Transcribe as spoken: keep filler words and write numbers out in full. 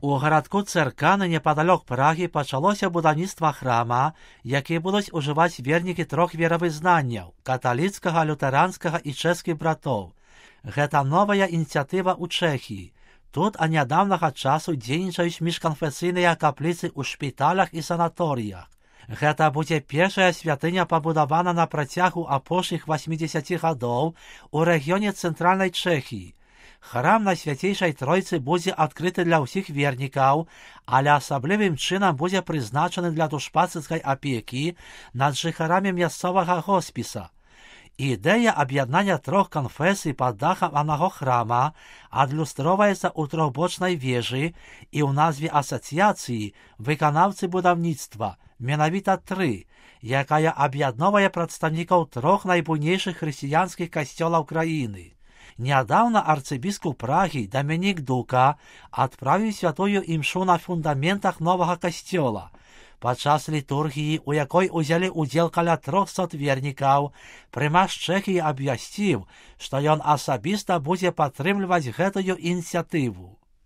У гарадку Церканы непадалёк Прагі пачалося будаўніцтва храма, які будуць ужываць вернікі трох веравызнанняў – каталіцкага, лютэранскага і чэшскіх братоў. Гэта новая ініцыятыва ў Чэхіі. Тут а нядаўнага часу дзейнічаюць міжканфесійныя капліцы ў шпіталях і санаторыях. Гэта будзе першая святыня, пабудавана на працягу апошніх васьмідзесяці гадоў у рэгіёне цэнтральнай Чэхіі. Храм Найсвяцейшай Тройцы будзе адкрыты для ўсіх вернікаў, але асаблівым чынам будзе прызначаны для душпасцырскай апекі над жыхарамі мясцовага хоспіса. Ідэя аб'яднання трох канфесій пад дахам аднаго храма адлюстроўваецца ў трохбочнай вежы і ў назве асацыяцыі выканаўцы будаўніцтва, менавіта тры, якая аб'ядноўвае прадстаўнікоў трох найбуйнейшых хрысціянскіх касцёлаў краіны. Нядаўна арцыбіскуп Прагі Дамінік Дука адправіў святую імшу на фундаментах новага касцёла. Падчас літургіі, у якой узялі ўдзел каля трохсот вернікаў, прымаш Чэхіі абвясціў, што ён асабіста будзе падтрымліваць гэтую ініцыятыву.